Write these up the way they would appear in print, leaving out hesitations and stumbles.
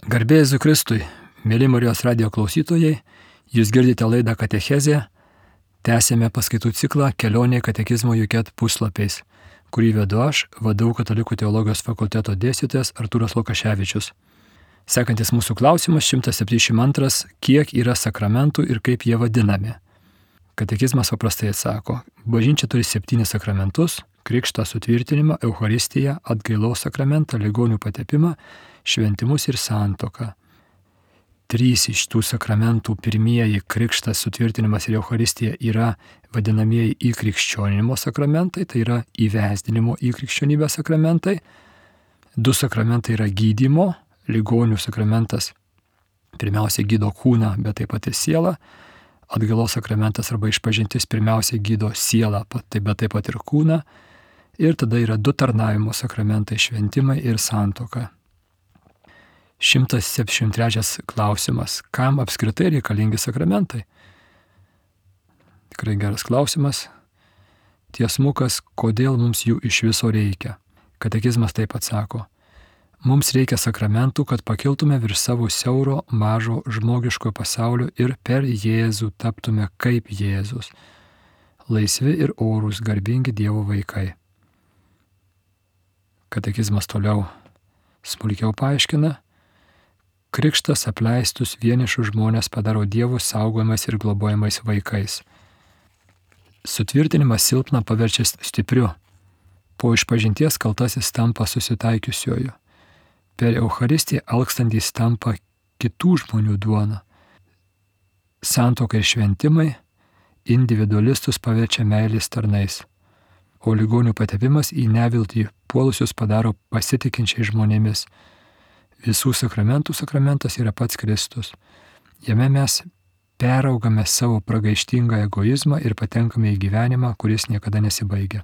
Garbė Jėzui Kristui, mėly Marijos radijo klausytojai, jūs girdite laidą Katechezė, tęsėme paskaitų ciklą Kelionė katekizmo Juket puslapiais, kurį vedu aš, VDU Katalikų teologijos fakulteto dėstytojas Artūras Lukaševičius. Sekantis mūsų klausimas 172, kiek yra sakramentų ir kaip jie vadinami. Katekizmas paprastai atsako, bažnyčia turi 7 sakramentus: krikštą, sutvirtinimą, Eucharistiją, atgailos sakramentą, ligonių patepimą, šventimus ir santuoką. 3 iš tų sakramentų, pirmieji krikštas, sutvirtinimas ir Eucharistija, yra vadinamieji įkrikščioninimo sakramentai, tai yra įvesdinimo į krikščionybę sakramentai. 2 sakramentai yra gydymo, ligonių sakramentas pirmiausia gydo kūną, bet taip pat ir sielą. Atgailos sakramentas arba išpažintis pirmiausia gydo sielą, bet taip pat ir kūną. Ir tada yra 2 tarnavimo sakramentai, šventimai ir santuoka. 173 klausimas. Kam apskritai reikalingi sakramentai? Tikrai geras klausimas. Tiesmukas, kodėl mums jų iš viso reikia? Katekizmas taip atsako. Mums reikia sakramentų, kad pakiltume virš savo siauro, mažo žmogiško pasaulio ir per Jėzų taptume kaip Jėzus. Laisvi ir orūs, garbingi Dievo vaikai. Katekizmas toliau smulkiau paaiškina. Krikštas apleistus vienišus žmonės padaro Dievo saugojamais ir globojamais vaikais. Sutvirtinimas silpną paverčia stipriu. Po išpažinties kaltasis tampa susitaikiusioju. Per Eucharistiją alkstantys tampa kitų žmonių duona. Santuoka ir šventimai individualistus paverčia meilės tarnais, o ligonių patepimas į neviltį puolusius padaro pasitikinčiais žmonėmis. Visų sakramentų sakramentas yra pats Kristus. Jame mes peraugame savo pragaištingą egoizmą ir patenkame į gyvenimą, kuris niekada nesibaigia.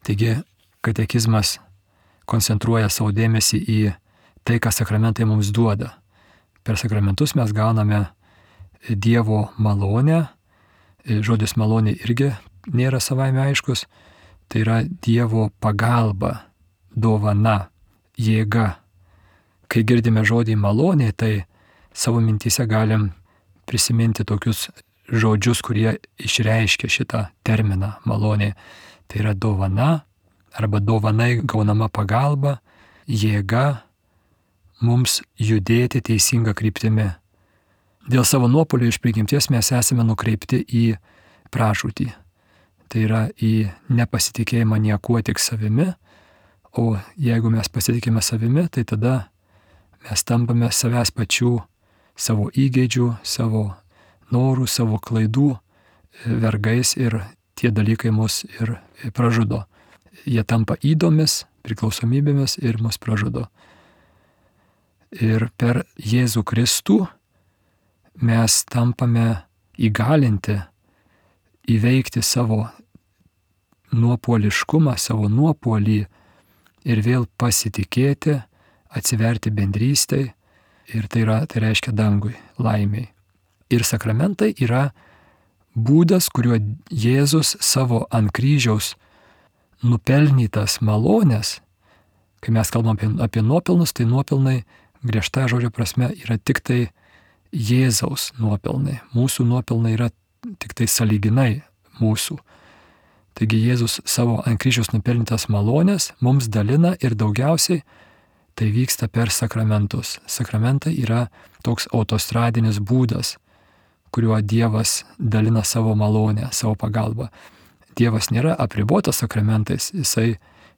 Taigi, katekizmas koncentruoja savo dėmesį į tai, ką sakramentai mums duoda. Per sakramentus mes gauname Dievo malonę. Žodis malonė irgi nėra savaime aiškus. Tai yra Dievo pagalba, dovana, jėga. Kai girdime žodį malonė, tai savo mintyse galim prisiminti tokius žodžius, kurie išreiškia šitą terminą malonė. Tai yra dovana arba dovanai gaunama pagalba, jėga mums judėti teisinga kryptimi. Dėl savo nuopuolio iš prigimties mes esame nukreipti į pražūtį. Tai yra į nepasitikėjimą niekuo, tik savimi. O jeigu mes pasitikime savimi, tai tada mes tampame savęs pačių, savo įgeidžių, savo norų, savo klaidų vergais ir tie dalykai mus ir pražudo. Jie tampa įdomis, priklausomybėmis ir mus pražudo. Ir per Jėzų Kristų mes tampame įgalinti įveikti savo nuopuoliškumą, savo nuopuolį ir vėl pasitikėti, atsiverti bendrystei, ir tai reiškia dangui, laimiai. Ir sakramentai yra būdas, kuriuo Jėzus savo ant kryžiaus nupelnytas malonės, kai mes kalbam apie nuopelnus, tai nuopelnai griežta žodžio prasme yra tik tai Jėzaus nuopelnai. Mūsų nuopelnai yra tik tai sąlyginai mūsų. Taigi Jėzus savo ant kryžiaus nupelnytas malonės mums dalina ir daugiausiai tai vyksta per sakramentus. Sakramentai yra toks autostradinis būdas, kuriuo Dievas dalina savo malonę, savo pagalbą. Dievas nėra apribotas sakramentais, jisai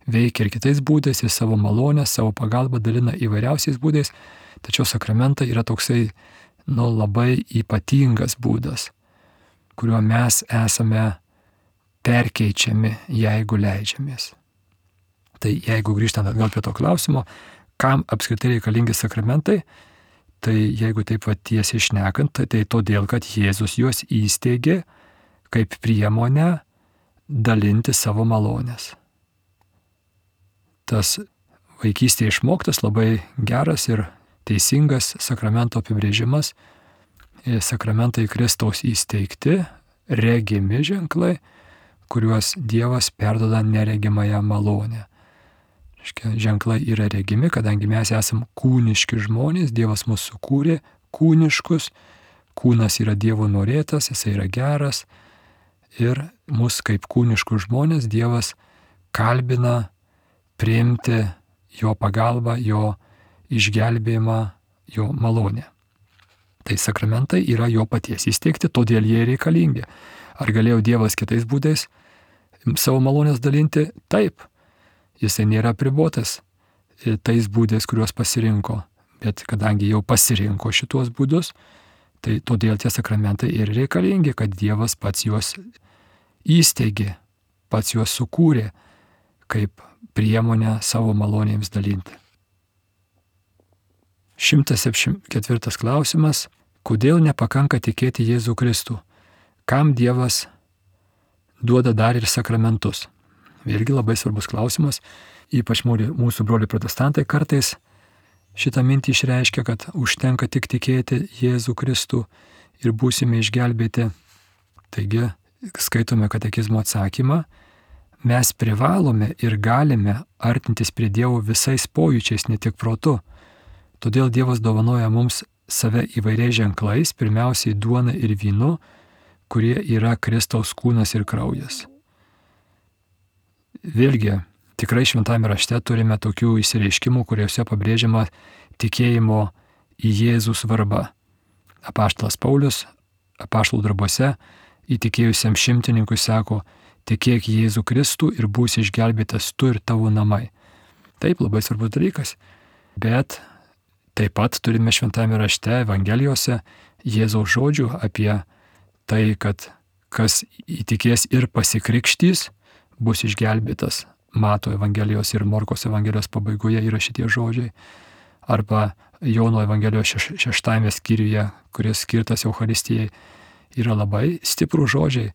veikia ir kitais būdais, jis savo malonę, savo pagalbą dalina įvairiausiais būdais, tačiau sakramentai yra toksai, labai ypatingas būdas, kuriuo mes esame perkeičiami, jeigu leidžiamės. Tai jeigu grįžtant atgal prie to klausimo, kam apskritai reikalingi sakramentai, tai jeigu taip tiesiai šnekant, tai todėl, kad Jėzus juos įsteigė kaip priemonę dalinti savo malonės. Tas vaikystėje išmoktas labai geras ir teisingas sakramento apibrėžimas. Sakramentai Kristaus įsteigti, regimi ženklai, kuriuos Dievas perduoda neregimąją malonę. Ženklai yra regimi, kadangi mes esame kūniški žmonės, Dievas mus sukūrė kūniškus, kūnas yra Dievo norėtas, jisai yra geras ir mus kaip kūniškus žmonės Dievas kalbina priimti jo pagalbą, jo išgelbėjimą, jo malonę. Tai sakramentai yra jo paties įsteigti, todėl jie reikalingi. Ar galėjo Dievas kitais būdais savo malonės dalinti? Taip. Jisai nėra apribotas tais būdais, kuriuos pasirinko. Bet kadangi jau pasirinko šituos būdus, tai todėl tie sakramentai ir reikalingi, kad Dievas pats juos įsteigė, pats juos sukūrė kaip priemonę savo malonėms dalinti. 174 klausimas. Kodėl nepakanka tikėti Jėzų Kristų? Kam Dievas duoda dar ir sakramentus? Vėlgi labai svarbus klausimas. Ypač mūsų broliai protestantai kartais šitą mintį išreiškia, kad užtenka tik tikėti Jėzų Kristų ir būsime išgelbėti. Taigi, skaitome katekizmo atsakymą. Mes privalome ir galime artintis prie Dievo visais pojūčiais, ne tik protu. Todėl Dievas dovanoja mums save įvairiais ženklais, pirmiausiai duona ir vynu, kurie yra Kristaus kūnas ir kraujas. Vėlgi, tikrai šventame rašte turime tokių išsireiškimų, kuriuose pabrėžiama tikėjimo į Jėzų svarba. Apaštalas Paulius apaštalų darbuose įtikėjusiam šimtininkui sako: tikėk Jėzų Kristų ir būsi išgelbėtas tu ir tavo namai. Taip, labai svarbus dalykas. Bet taip pat turime šventame rašte, Evangelijose, Jėzaus žodžių apie tai, kad kas įtikės ir pasikrikštys, bus išgelbėtas. Mato Evangelijos ir Morkos Evangelijos pabaigoje yra šitie žodžiai. Arba Jono Evangelijos 6 skyriuje, kuris skirtas Eucharistijai, yra labai stiprų žodžiai,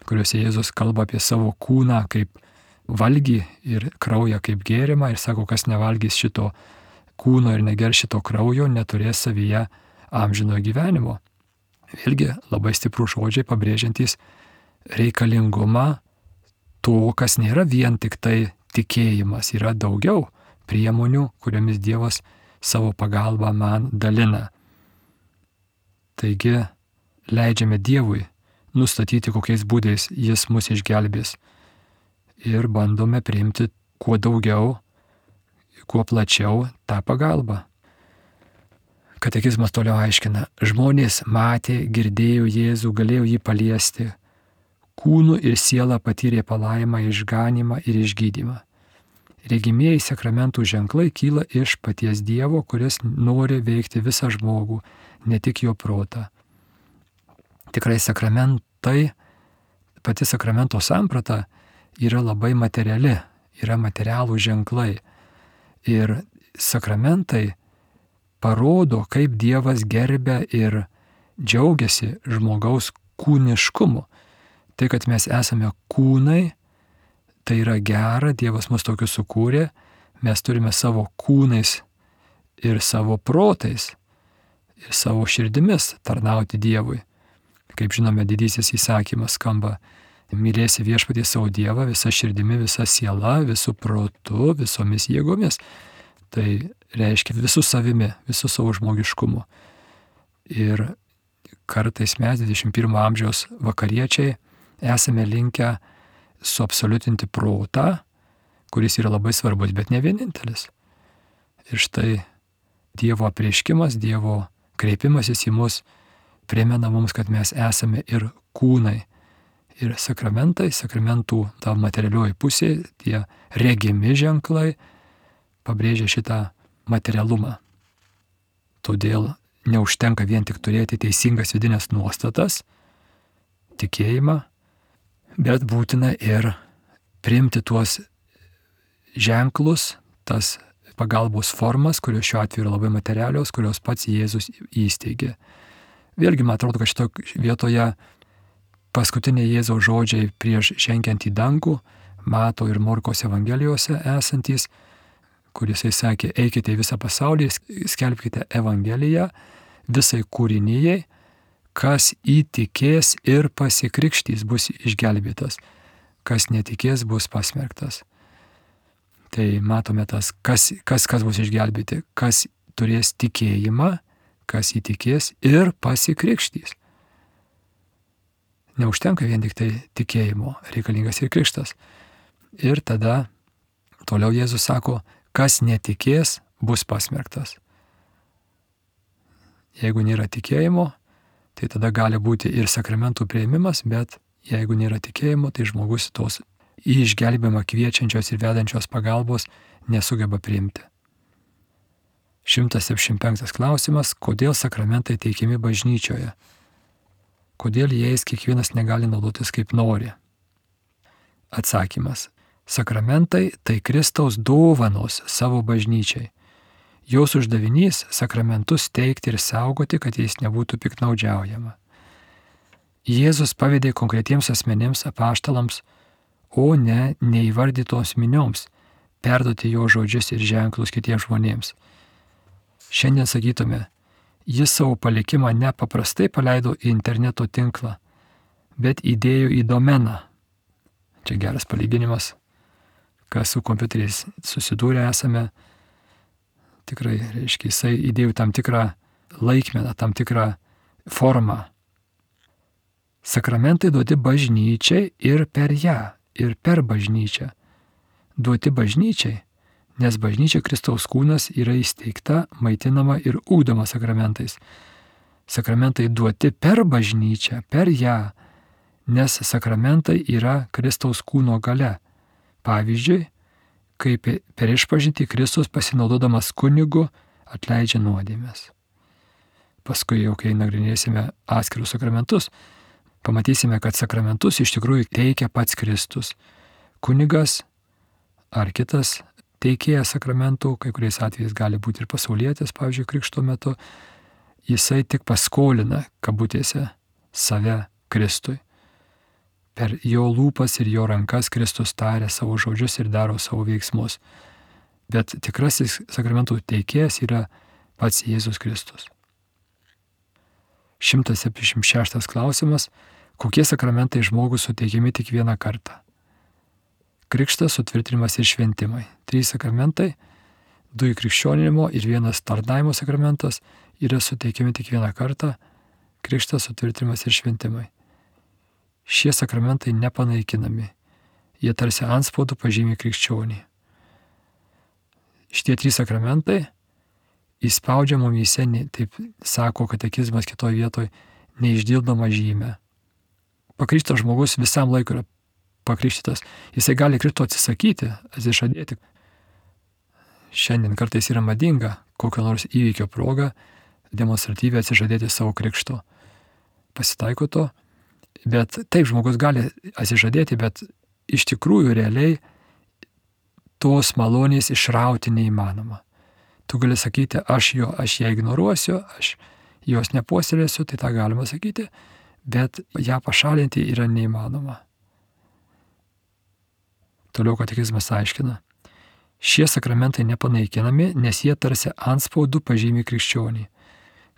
kuriuose Jėzus kalba apie savo kūną kaip valgį ir kraują kaip gėrimą ir sako, kas nevalgys šito kūno ir negers šito kraujo, neturės savyje amžinojo gyvenimo. Vėlgi labai stiprų žodžiai pabrėžiantys reikalingumą to, kas nėra vien tik tai tikėjimas, yra daugiau priemonių, kuriomis Dievas savo pagalbą man dalina. Taigi leidžiame Dievui nustatyti, kokiais būdais jis mus išgelbės ir bandome priimti kuo daugiau, kuo plačiau tą pagalbą. Katekizmas toliau aiškina, žmonės matė, girdėjo Jėzų, galėjo jį paliesti, kūnu ir siela patyrė palaimą, išganymą ir išgydymą. Regimieji sakramentų ženklai kyla iš paties Dievo, kuris nori veikti visą žmogų, ne tik jo protą. Tikrai sakramentai, pati sakramento samprata yra labai materiali, yra materialų ženklai. Ir sakramentai parodo, kaip Dievas gerbia ir džiaugiasi žmogaus kūniškumu. Tai, kad mes esame kūnai, tai yra gera, Dievas mus tokius sukūrė, mes turime savo kūnais ir savo protais ir savo širdimis tarnauti Dievui. Kaip žinome, didysis įsakymas skamba: mylėsi viešpatį savo Dievą visą širdimi, visą sielą, visų protu, visomis jėgomis. Tai reiškia visų savimi, visų savo žmogiškumu. Ir kartais mes, 21 amžiaus vakariečiai, esame linkę suabsoliutinti protą, kuris yra labai svarbus, bet ne vienintelis. Ir štai Dievo apreiškimas, Dievo kreipimasis į mus primena mums, kad mes esame ir kūnai. Ir sakramentai, sakramentų ta materialioji pusė, tie regimi ženklai pabrėžia šitą materialumą. Todėl neužtenka vien tik turėti teisingas vidinės nuostatas, tikėjimą, bet būtina ir priimti tuos ženklus, tas pagalbos formas, kurios šiuo atveju yra labai materialios, kurios pats Jėzus įsteigė. Vėlgi, man atrodo, kad šitoje vietoje paskutiniai Jėzaus žodžiai prieš žengiant į dangų, Mato ir Morkos Evangelijose esantys, kuris jis sakė, eikite į visą pasaulį, skelbkite Evangeliją visai kūrinijai, kas įtikės ir pasikrikštys bus išgelbėtas, kas netikės bus pasmerktas. Tai matome tas, kas bus išgelbėti, kas turės tikėjimą, kas įtikės ir pasikrikštys. Neužtenka vien tik tai tikėjimo, reikalingas ir krikštas. Ir tada toliau Jėzus sako, kas netikės, bus pasmerktas. Jeigu nėra tikėjimo, tai tada gali būti ir sakramentų priėmimas, bet jeigu nėra tikėjimo, tai žmogus tos į išgelbėjimą kviečiančios ir vedančios pagalbos nesugeba priimti. 175 klausimas, kodėl sakramentai teikiami bažnyčioje? Kodėl jais kiekvienas negali naudotis kaip nori? Atsakymas. Sakramentai tai Kristaus dovanos savo bažnyčiai. Jos uždavinys sakramentus teikti ir saugoti, kad jais nebūtų piktnaudžiaujama. Jėzus pavedė konkretiems asmenims apaštalams, o ne neįvardytoms minioms, perduoti jo žodžius ir ženklus kitiems žmonėms. Šiandien sakytume, jis savo palikimą ne paprastai paleido į interneto tinklą, bet įdėjo į domeną. Čia geras palyginimas, kas su kompiuteriais susidūrę esame. Tikrai, reiškia, jisai įdėjo tam tikrą laikmeną, tam tikrą formą. Sakramentai duoti bažnyčiai ir per ją, ir per bažnyčią. Duoti bažnyčiai, nes bažnyčia Kristaus kūnas yra įsteigta, maitinama ir ugdoma sakramentais. Sakramentai duoti per bažnyčią, per ją, nes sakramentai yra Kristaus kūno galia. Pavyzdžiui, kaip per išpažintį Kristus pasinaudodamas kunigu atleidžia nuodėmes. Paskui jau, kai nagrinėsime atskirus sakramentus, pamatysime, kad sakramentus iš tikrųjų teikia pats Kristus. Kunigas ar kitas teikėjas sakramentų, kai kuriais atvejais gali būti ir pasaulietis, pavyzdžiui, krikšto metu, jisai tik paskolina, kabutėse, save Kristui. Per jo lūpas ir jo rankas Kristus taria savo žodžius ir daro savo veiksmus. Bet tikrasis sakramentų teikėjas yra pats Jėzus Kristus. 176 klausimas. Kokie sakramentai žmogui suteikiami tik vieną kartą? Krikštas, sutvirtinimas ir šventimai. 3 sakramentai, 2 krikščioninimo ir 1 tarnavimo sakramentas yra suteikiami tik vieną kartą. Krikštas, sutvirtinimas ir šventimai. Šie sakramentai nepanaikinami. Jie tarsi antspaudų pažymi krikščionį. Šitie 3 sakramentai įspaudžia mumyse, taip sako katekizmas kitoje vietoje, neišdildomą žymę. Pakrikštytas žmogus visam laikui yra pakrikštytas. Jisai gali Kristo atsisakyti, atsižadėti. Šiandien kartais yra madinga kokio nors įvykio proga demonstratyviai atsižadėti savo krikšto. Pasitaiko to. Bet taip žmogus gali atsižadėti, bet iš tikrųjų realiai tos malonės išrauti neįmanoma. Tu gali sakyti, aš ją ignoruosiu, aš jos nepuoselėsiu, tai tą galima sakyti, bet ją pašalinti yra neįmanoma. Toliau katekizmas aiškina. Šie sakramentai nepanaikinami, nes jie tarsi antspaudų pažymi krikščionį.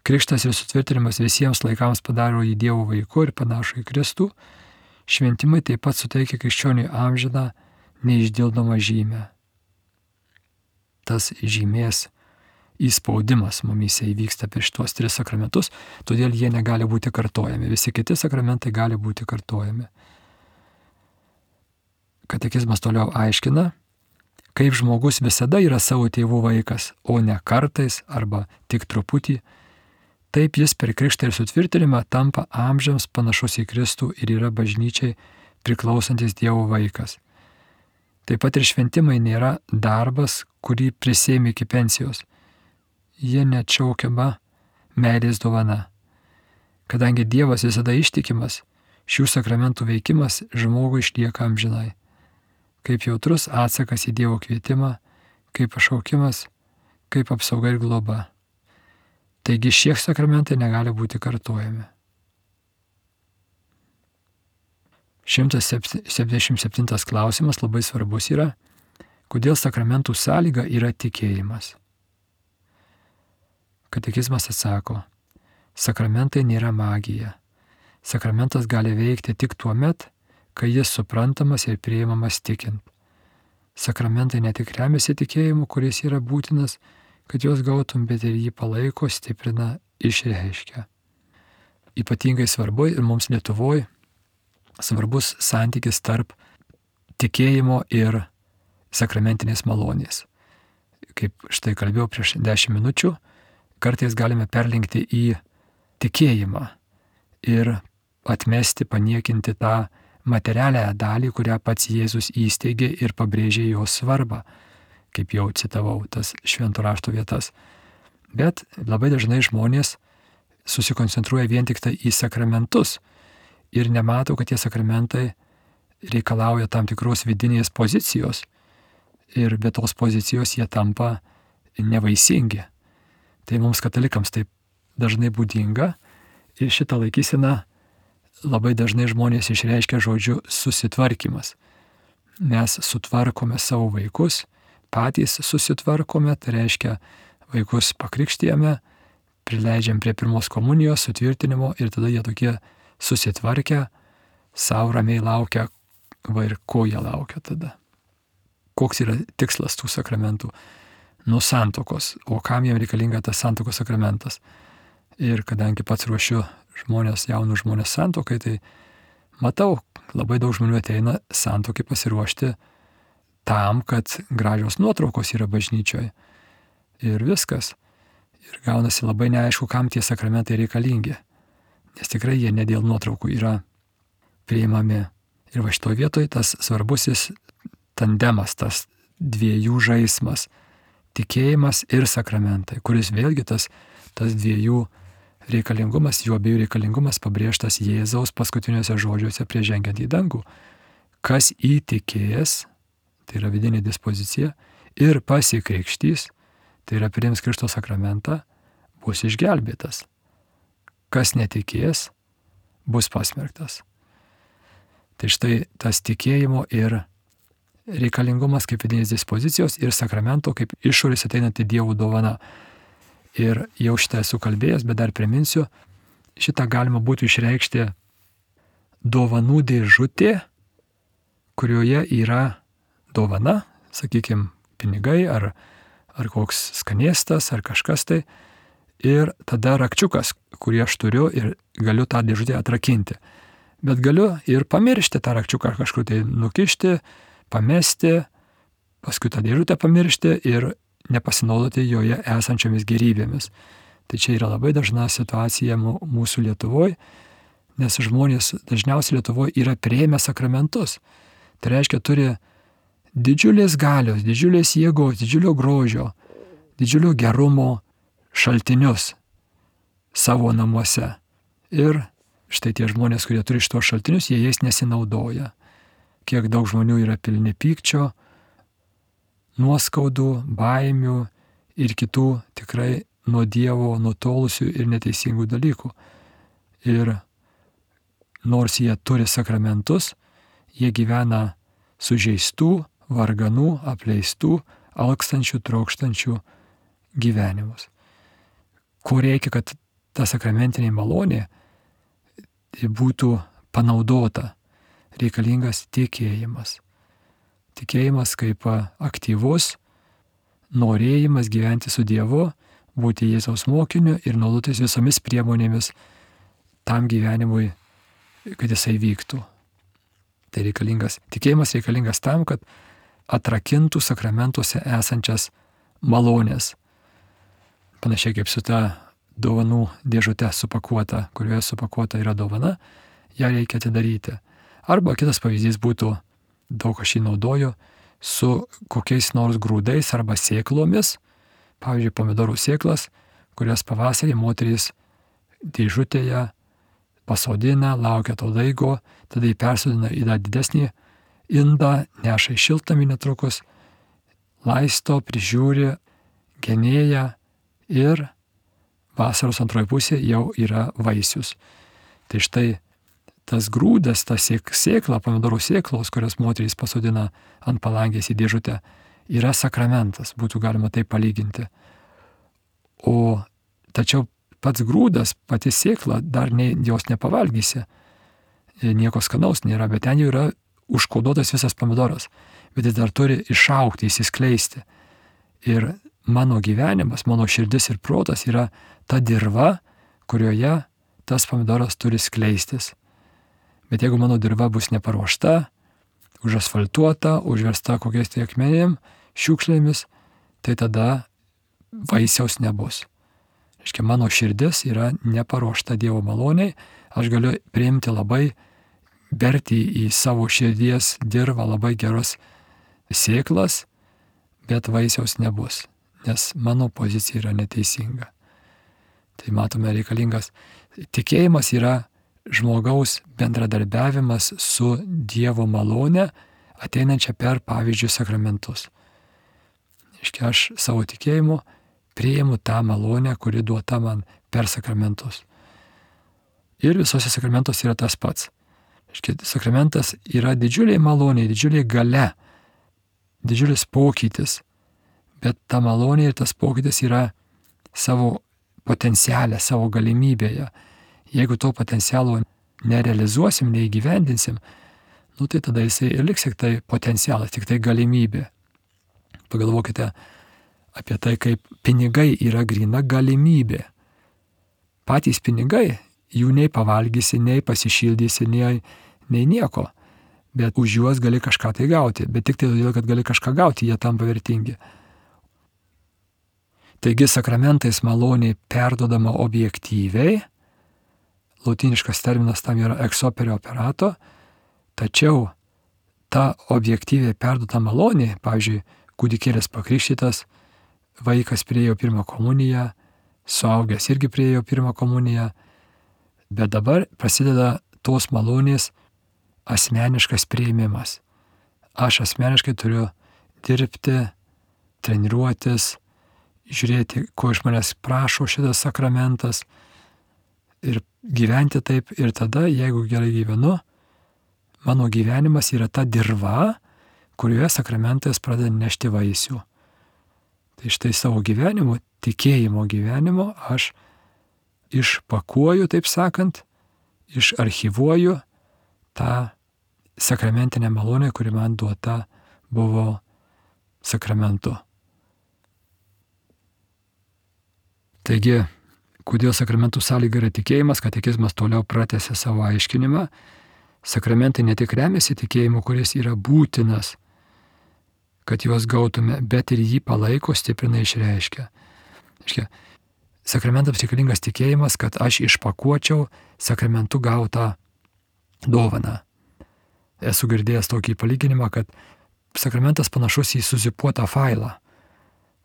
Krikštas ir sutvirtinimas visiems laikams padaro jį Dievo vaiku ir panašų į Kristų. Šventimai taip pat suteikia krikščioniui amžiną, neišdildomą žymę. Tas žymės įspaudimas mumyse įvyksta per šitos 3 sakramentus, todėl jie negali būti kartojami. Visi kiti sakramentai gali būti kartojami. Katekizmas toliau aiškina, kaip žmogus visada yra savo tėvų vaikas, o ne kartais arba tik truputį. Taip jis per krikštą ir sutvirtinimą tampa amžiams panašus į Kristų ir yra bažnyčiai priklausantis Dievo vaikas. Taip pat ir šventimai nėra darbas, kurį prisėmė iki pensijos. Jie neatšaukiama meilės dovana. Kadangi Dievas visada ištikimas, šių sakramentų veikimas žmogui išlieka amžinai. Kaip jautrus atsakas į Dievo kvietimą, kaip pašaukimas, kaip apsauga ir globa. Taigi šie sakramentai negali būti kartojami. 177 klausimas labai svarbus yra, kodėl sakramentų sąlyga yra tikėjimas. Katekizmas atsako, sakramentai nėra magija. Sakramentas gali veikti tik tuo met, kai jis suprantamas ir priimamas tikint. sakramentai ne tik remiasi tikėjimu, kuris yra būtinas, kad juos gautum, bet ir jį palaiko, stiprina, išreiškia. Ypatingai svarbu ir mums Lietuvoje svarbus santykis tarp tikėjimo ir sakramentinės malonės. Kaip štai kalbėjau prieš 10 minučių, kartais galime perlinkti į tikėjimą ir atmesti, paniekinti tą materialią dalį, kurią pats Jėzus įsteigė ir pabrėžė jos svarbą, kaip jau citavau tas švento rašto vietas. Bet labai dažnai žmonės susikoncentruoja vien tik tai į sakramentus ir nemato, kad tie sakramentai reikalauja tam tikros vidinės pozicijos ir be tos pozicijos jie tampa nevaisingi. Tai mums katalikams taip dažnai būdinga ir šitą laikyseną labai dažnai žmonės išreiškia žodžiu susitvarkymas. Mes sutvarkome savo vaikus, patys susitvarkome, tai reiškia vaikus pakrikštijame, prileidžiam prie pirmos komunijos, sutvirtinimo ir tada jie tokie susitvarkę, savo ramiai laukia, ir ko jie laukia tada. Koks yra tikslas tų sakramentų? Nuo santuokos, o kam jiems reikalinga tas santuokos sakramentas? Ir kadangi pats ruošiu jaunus žmonės santuokai, tai matau, labai daug žmonių ateina santuokai pasiruošti tam, kad gražios nuotraukos yra bažnyčioje. Ir viskas. Ir gaunasi labai neaišku, kam tie sakramentai reikalingi. Nes tikrai jie ne dėl nuotraukų yra priimami. Ir va šitoje vietoje tas svarbusis tandemas, tas dviejų žaismas, tikėjimas ir sakramentai, kuris vėlgi tas dviejų reikalingumas, jų abiejų reikalingumas pabrėžtas Jėzaus paskutiniuose žodžiuose prieš žengiant į dangų. Kas įtikės, tai yra vidinė dispozicija, ir pasikrikštys, tai yra priims Krikšto sakramentą, bus išgelbėtas. Kas netikės, bus pasmerktas. Tai štai tas tikėjimo ir reikalingumas kaip vidinės dispozicijos ir sakramento kaip išorės ateinanti Dievo dovana. Ir jau šitą esu kalbėjęs, bet dar priminsiu, šitą galima būtų išreikšti dovanų dėžutė, kurioje yra dovana, sakykime, pinigai ar koks skanėstas ar kažkas tai, ir tada rakčiukas, kurį aš turiu ir galiu tą dėžutę atrakinti. Bet galiu ir pamiršti tą rakčiuką, kažkur tai nukišti, pamesti, paskui tą dėžutę pamiršti ir nepasinaudoti joje esančiomis gerybėmis. Tai čia yra labai dažna situacija mūsų Lietuvoje, nes žmonės dažniausiai Lietuvoje yra priėmę sakramentus. Tai reiškia, turi didžiulės galios, didžiulės jėgos, didžiulio grožio, didžiulio gerumo šaltinius savo namuose. Ir štai tie žmonės, kurie turi šitos šaltinius, jie jais nesinaudoja. Kiek daug žmonių yra pilni pykčio, nuoskaudų, baimių ir kitų tikrai nuo Dievo nutolusių ir neteisingų dalykų. Ir nors jie turi sakramentus, jie gyvena sužeistų, varganų, apleistų, alkstančių, trokštančių gyvenimus. Ko reikia, kad ta sakramentinė malonė būtų panaudota? Reikalingas tikėjimas. Tikėjimas kaip aktyvus norėjimas gyventi su Dievu, būti Jėzaus mokiniu ir naudotis visomis priemonėmis tam gyvenimui, kad jisai vyktų. Tai tikėjimas reikalingas tam, kad atrakintų sakramentuose esančias malonės. Panašiai kaip su ta dovanų dėžute supakuota, kurioje supakuota yra dovana, ją reikia atidaryti. Arba kitas pavyzdys būtų, daug aš jį naudoju, su kokiais nors grūdais arba sėklomis, pavyzdžiui, pomidorų sėklas, kurias pavasarį moterys dėžutėje pasodina, laukia to daigo, tada jį persodina į dar didesnį indą, neša į šiltnamį netrukus, laisto, prižiūri, genėja ir vasaros antroji pusė jau yra vaisius. Tai štai tas grūdas, ta sėkla, pomidorų sėklos, kurias moterys pasodina ant palangės į dėžutę, yra sakramentas, būtų galima tai palyginti. Tačiau pats grūdas, pati sėkla, dar jos nepavalgysi, nieko skanaus nėra, bet ten jau yra užkoduotas visas pomidoras. bet jis dar turi išaugti, įsiskleisti. Ir mano gyvenimas, mano širdis ir protas yra ta dirva, kurioje tas pomidoras turi skleistis. Bet jeigu mano dirva bus neparuošta, užasfaltuota, užversta kokiais tai akmenėm, šiukšlėmis, tai tada vaisiaus nebus. Reiškia, mano širdis yra neparuošta Dievo maloniai, aš galiu priimti labai, berti į savo širdies dirvą labai geras sėklas, bet vaisiaus nebus, nes mano pozicija yra neteisinga. Tai matome reikalingas. Tikėjimas yra žmogaus bendradarbiavimas su Dievo malone, ateinančia per, pavyzdžiui, sakramentus. Reiškia, aš savo tikėjimu priimu tą malonę, kuri duota man per sakramentus. Ir visose sakramentuose yra tas pats. Reiškia, sakramentas yra didžiuliai maloniai, didžiuliai galia, didžiulis pokytis, bet ta malonė ir tas pokytis yra savo potencialė, savo galimybėje. Jeigu to potencialo nerealizuosim, neįgyvendinsim, tai tada jisai ir liks tik tai potencialas, tik tai galimybė. Pagalvokite apie tai, kaip pinigai yra gryna galimybė. Patys pinigai, jų nei pavalgysi, nei pasišildysi, nei nieko. Bet už juos gali kažką tai gauti. Bet tik tai todėl, kad gali kažką gauti, jie tampa vertingi. Taigi sakramentais maloniai perduodama objektyviai, lotyniškas terminas tam yra ex opere operato, tačiau ta objektyviai perduota malonė, pavyzdžiui, kūdikėlis pakrikštytas, vaikas priėjo pirmą komuniją, suaugęs irgi priėjo pirmą komuniją, bet dabar prasideda tos malonės asmeniškas priėmimas. Aš asmeniškai turiu dirbti, treniruotis, žiūrėti, ko iš manęs prašo šitas sakramentas ir gyventi taip. Ir tada, jeigu gerai gyvenu, mano gyvenimas yra ta dirva, kurioje sakramentas pradeda nešti vaisių. Tai štai savo gyvenimo, tikėjimo gyvenimo aš išpakuoju, taip sakant, išarchyvuoju tą sakramentinę malonę, kuri man duota buvo sakramentu. Taigi, kodėl sakramentų sąlyga yra tikėjimas, katekizmas toliau pratęsė savo aiškinimą. Sakramentai ne tik remiasi tikėjimu, kuris yra būtinas, kad juos gautume, bet ir jį palaiko, stiprina, išreiškia. Sakramentams reikalingas tikėjimas, kad aš išpakuočiau sakramentų gautą dovaną. Esu girdėjęs tokį palyginimą, kad sakramentas panašus į suzipuotą failą,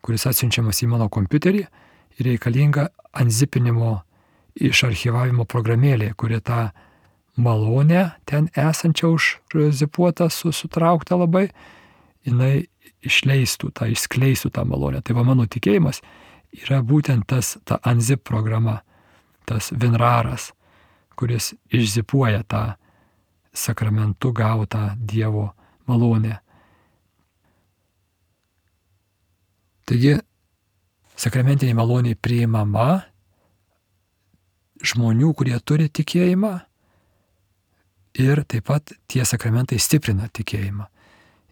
kuris atsiunčiamas į mano kompiuterį ir reikalinga anzipinimo išarchyvavimo programėlė, kuri tą malonę ten esančią užzipuotą, sutrauktą labai, jinai išleistų, išskleistų tą malonę. Tai va mano tikėjimas yra būtent ta anzip programa, tas vinraras, kuris išzipuoja tą sakramentu gautą Dievo malonę. Taigi, sakramentinė malonė priimama žmonių, kurie turi tikėjimą, ir taip pat tie sakramentai stiprina tikėjimą.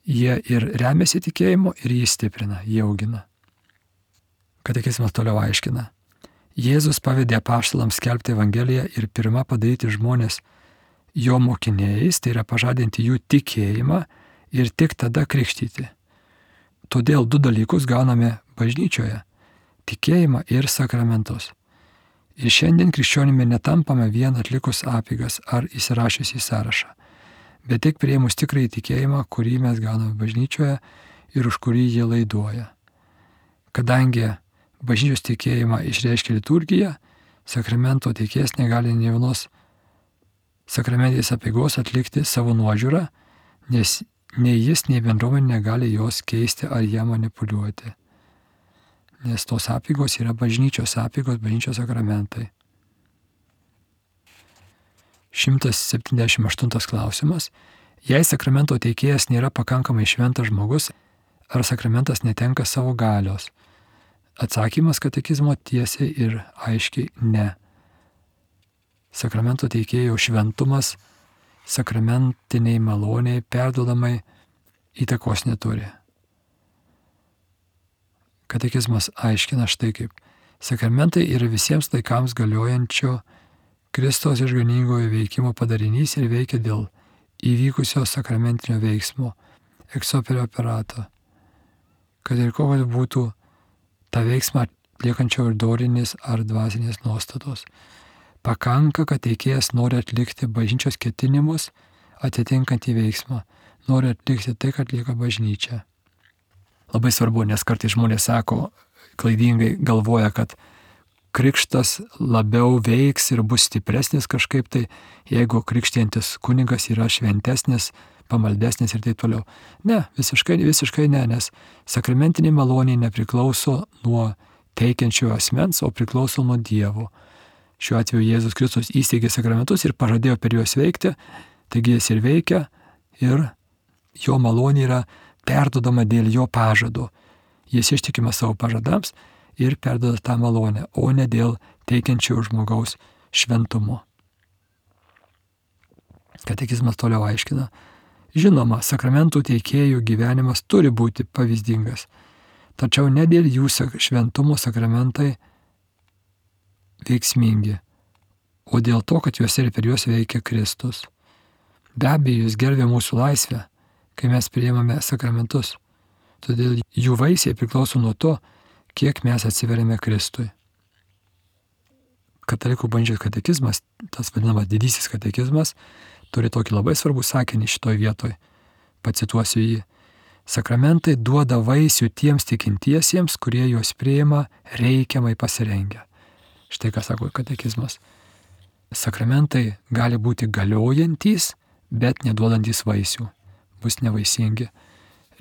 Jie ir remiasi tikėjimu, ir jį stiprina, jį augina. Katekizmas toliau aiškina. Jėzus pavedė apaštalams skelbti Evangeliją ir pirmą padaryti žmonės jo mokiniais, tai yra pažadinti jų tikėjimą ir tik tada krikštyti. Todėl du dalykus gauname bažnyčioje – tikėjimą ir sakramentus. Ir šiandien krikščionimi netampame vien atlikus apeigas ar įsirašius į sąrašą, bet tik priėmus tikrąjį tikėjimą, kurį mes gauname bažnyčioje ir už kurį jie laiduoja. Kadangi bažnyčios tikėjimą išreiškia liturgija, sakramento teikėjas negali nė vienos sakramentės apeigos atlikti savo nuožiūrą, nes nei jis, nei bendruomenė negali jos keisti ar ją manipuliuoti. Nes tos apeigos yra bažnyčios apeigos, bažnyčios sakramentai. 178 klausimas. Jei sakramento teikėjas nėra pakankamai šventas žmogus, ar sakramentas netenka savo galios? Atsakymas katekizmo tiesiai ir aiškiai ne. Sakramento teikėjo šventumas sakramentiniai maloniai perduodamai įtakos neturi. Katekizmas aiškina štai kaip. Sakramentai yra visiems laikams galiojančio Kristaus išganingojo veikimo padarinys ir veikia dėl įvykusio sakramentinio veiksmo, ex opere operato. Kad ir kokios būtų tą veiksmą atliekančio ir dorinės ar dvasinės nuostatos. Pakanka, kad teikėjas nori atlikti bažnyčios ketinimus atitinkantį veiksmą, nori atlikti tai, kad atlieka bažnyčia. Labai svarbu, nes kartais žmonės sako, klaidingai galvoja, kad krikštas labiau veiks ir bus stipresnis kažkaip tai, jeigu krikštijantis kunigas yra šventesnis, pamaldesnis ir taip toliau. Ne, visiškai ne, nes sakramentinė malonė nepriklauso nuo teikiančio asmens, o priklauso nuo Dievo. Šiuo atveju Jėzus Kristus įsteigė sakramentus ir pažadėjo per juos veikti, taigi jis ir veikia ir jo malonė yra perdodama dėl jo pažado. Jis ištikima savo pažadams ir perdoda tą malonę, o ne dėl teikiančio žmogaus šventumo. Katekizmas toliau aiškina. Žinoma, sakramentų teikėjų gyvenimas turi būti pavyzdingas, tačiau ne dėl jų šventumo sakramentai veiksmingi, o dėl to, kad juose ir per juos veikia Kristus. Be abejo, jis gerbia mūsų laisvę, kai mes priimame sakramentus. Todėl jų vaisiai priklauso nuo to, kiek mes atsiveriame Kristui. Katalikų bažnyčios katekizmas, tas vadinamas didysis katekizmas, turi tokį labai svarbų sakinį šitoj vietoj. Pacituosiu jį. Sakramentai duoda vaisių tiems tikintiesiems, kurie juos priima reikiamai pasirengę. Štai ką sako katekizmas. Sakramentai gali būti galiojantys, bet neduodantys vaisių. Bus nevaisingi.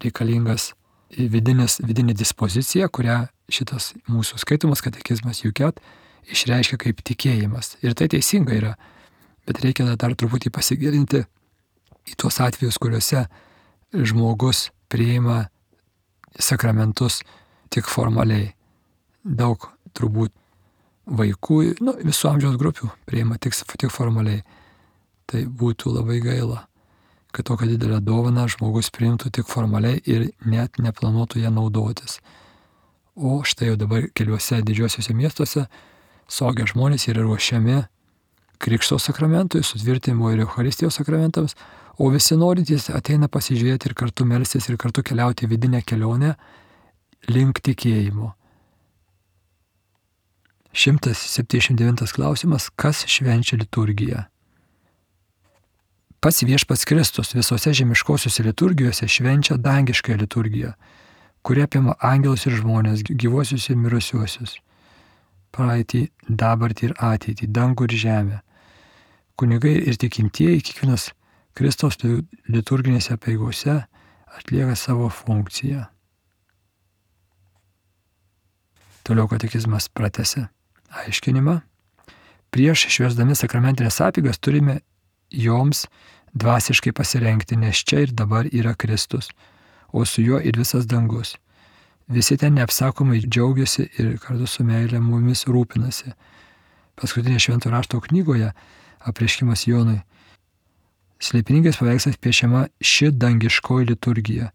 Reikalingas vidinė dispozicija, kurią šitas mūsų skaitomas katekizmas Juket išreiškia kaip tikėjimas. Ir tai teisinga yra, bet reikia dar truputį pasigilinti į tuos atvejus, kuriuose žmogus priima sakramentus tik formaliai. Daug turbūt vaikų, visų amžiaus grupių priima tik formaliai. Tai būtų labai gaila, kad tokią didelę dovaną žmogus priimtų tik formaliai ir net neplanuotų ją naudotis. O štai jau dabar keliuose didžiuosiuose miestuose suaugę žmonės yra ruošiami Krikšto sakramentui, sutvirtinimo ir Eucharistijos sakramentams, o visi norintys ateina pasižiūrėti ir kartu melstis ir kartu keliauti vidinę kelionę link tikėjimo. 179 klausimas. Kas švenčia liturgiją? Pats Viešpats Kristus visose žemiškosiuose liturgijose švenčia dangiškąją liturgiją, kuri apima angelus ir žmonės, gyvuosius ir mirusiuosius, praeitį, dabartį ir ateitį, dangų ir žemę. Kunigai ir tikintieji kiekvienas Kristaus liturginėse apeigose atlieka savo funkciją. Toliau katekizmas pratęsia aiškinimą. Prieš švęsdami sakramentinės apeigas turime joms dvasiškai pasirengti, nes čia ir dabar yra Kristus, o su juo ir visas dangus. Visi ten neapsakomai džiaugiasi ir kartu su meile mumis rūpinasi. Paskutinė Švento rašto knygoje Apreiškimas Jonui slėpiningais paveikslas piešiama ši dangiškoji liturgija,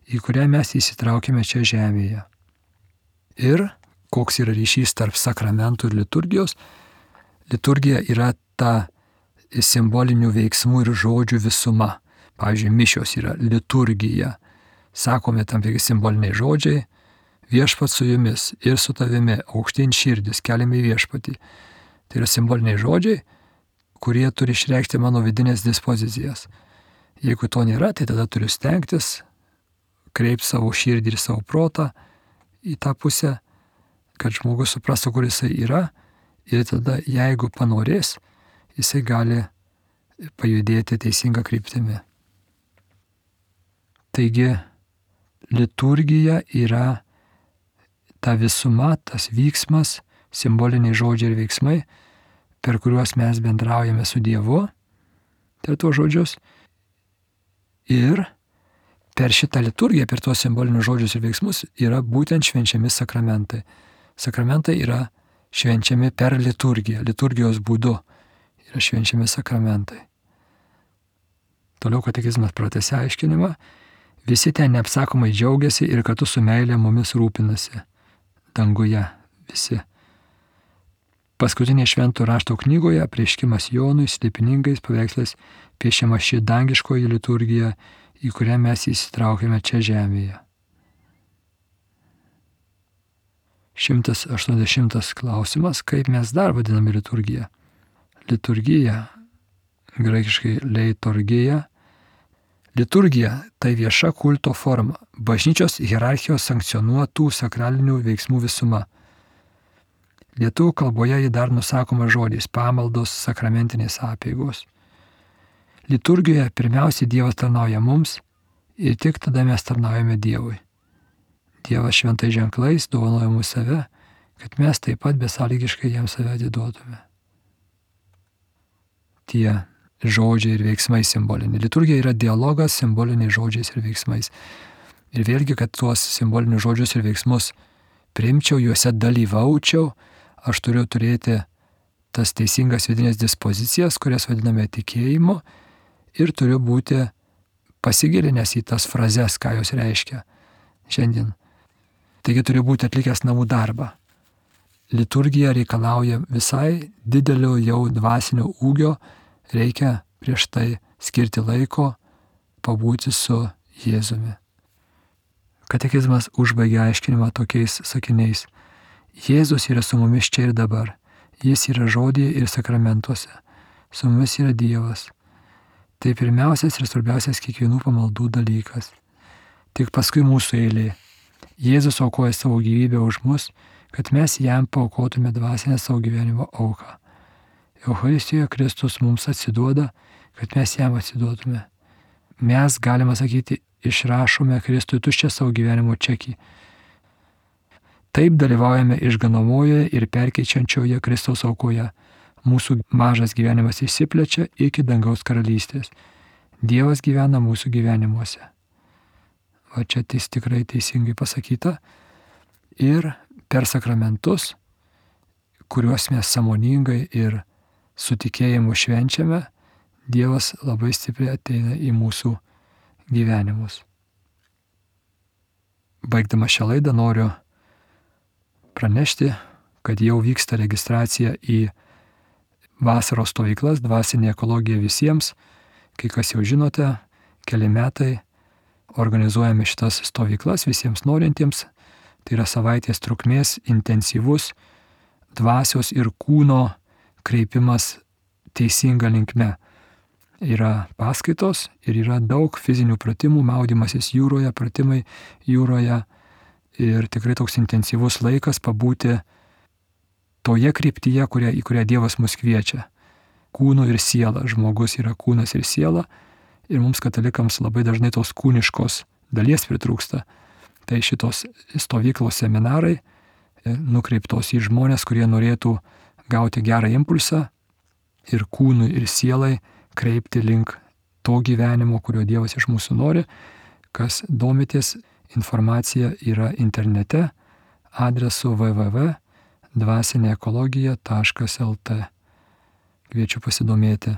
į kurią mes įsitraukėme čia žemėje. Ir koks yra ryšys tarp sakramentų ir liturgijos? Liturgija yra ta simbolinių veiksmų ir žodžių visuma. Pavyzdžiui, mišios yra liturgija. Sakome tam tikri simboliniai žodžiai. Viešpats su jumis ir su tavimi, aukštyn širdis, keliame į viešpatį. Tai yra simboliniai žodžiai, kurie turi išreikšti mano vidinės dispozicijas. Jeigu to nėra, tai tada turiu stengtis, kreipti savo širdį ir savo protą į tą pusę, kad žmogus suprastų, kur jisai yra, ir tada, jeigu panorės, jisai gali pajudėti teisingą kryptimį. Taigi, liturgija yra ta visuma, tas vyksmas, simboliniai žodžiai ir veiksmai, per kuriuos mes bendraujame su Dievu, per tuos žodžius. Ir per šitą liturgiją, per tuos simbolinius žodžius ir veiksmus yra būtent švenčiami sakramentai. Sakramentai yra švenčiami per liturgiją, liturgijos būdu yra švenčiami sakramentai. Toliau katekizmas pratęsia aiškinimą. Visi ten neapsakomai džiaugiasi ir kartu su meilė mumis rūpinasi. Danguje visi. Paskutinė šventų rašto knygoje apreiškimas Jonui slėpiningais paveikslais piešiama ši dangiškoji liturgija, į kurią mes įsitraukėme čia žemėje. 180 klausimas, kaip mes dar vadiname liturgiją. Liturgija, graikiškai leiturgija. Liturgija tai vieša kulto forma, bažnyčios hierarchijos sankcionuotų sakralinių veiksmų visuma. Lietuvių kalboje ji dar nusakoma žodžiais pamaldos, sakramentinės apeigos. Liturgijoje pirmiausiai Dievas tarnauja mums ir tik tada mes tarnaujame Dievui. Dievas šventais ženklais dovanoja mūsų save, kad mes taip pat besąlygiškai jam save atiduotume. Tie žodžiai ir veiksmai simboliniai. Liturgija yra dialogas simboliniais žodžiais ir veiksmais. Ir vėlgi, kad tuos simbolinius žodžius ir veiksmus priimčiau, juose dalyvaučiau, aš turiu turėti tas teisingas vidinės dispozicijas, kurias vadiname tikėjimu, ir turiu būti pasigilinęs į tas frazes, ką jos reiškia šiandien. Taigi turiu būti atlikęs namų darbą. Liturgija reikalauja visai didelio jau dvasinio ūgio, reikia prieš tai skirti laiko, pabūti su Jėzumi. Katekizmas užbaigia aiškinimą tokiais sakiniais. Jėzus yra su mumis čia ir dabar. Jis yra žodyje ir sakramentuose. Su mumis yra Dievas. Tai pirmiausias ir svarbiausias kiekvienų pamaldų dalykas. Tik paskui mūsų eilė. Jėzus aukoja savo gyvybę už mus, kad mes jam paaukotume dvasinę savo gyvenimo auką. Eucharistijoje Kristus mums atsiduoda, kad mes jam atsiduotume. Mes, galima sakyti, išrašome Kristui tuščią savo gyvenimo čekį. Taip dalyvaujame išganomojoje ir perkeičiančioje Kristaus aukoje. Mūsų mažas gyvenimas išsiplečia iki dangaus karalystės. Dievas gyvena mūsų gyvenimuose. O čia tikrai teisingai pasakyta. Ir per sakramentus, kuriuos mes sąmoningai ir su tikėjimu švenčiame, Dievas labai stipriai ateina į mūsų gyvenimus. Baigdama šią laidą noriu pranešti, kad jau vyksta registracija į vasaros stovyklas Dvasinė ekologija visiems. Kai kas jau žinote, keli metai organizuojame šitas stovyklas visiems norintiems. Tai yra savaitės trukmės intensyvus dvasios ir kūno kreipimas teisinga linkme. Yra paskaitos ir yra daug fizinių pratimų, maudymasis jūroje, pratimai jūroje. Ir tikrai toks intensyvus laikas pabūti toje kryptyje, į kurią Dievas mus kviečia. Kūnu ir siela. Žmogus yra kūnas ir siela. Ir mums katalikams labai dažnai tos kūniškos dalies pritrūksta. Tai šitos stovyklos seminarai nukreiptos į žmonės, kurie norėtų gauti gerą impulsą ir kūnui ir sielai kreipti link to gyvenimo, kurio Dievas iš mūsų nori. Kas domitės, informacija yra internete adresu www.dvasineekologija.lt. Kviečiu pasidomėti.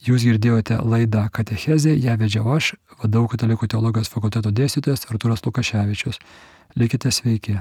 Jūs girdėjote laidą Katechezė, ją vedžiau aš, vadovų Katalikų teologijos fakulteto dėstytojas Artūras Lukaševičius. Likite sveiki.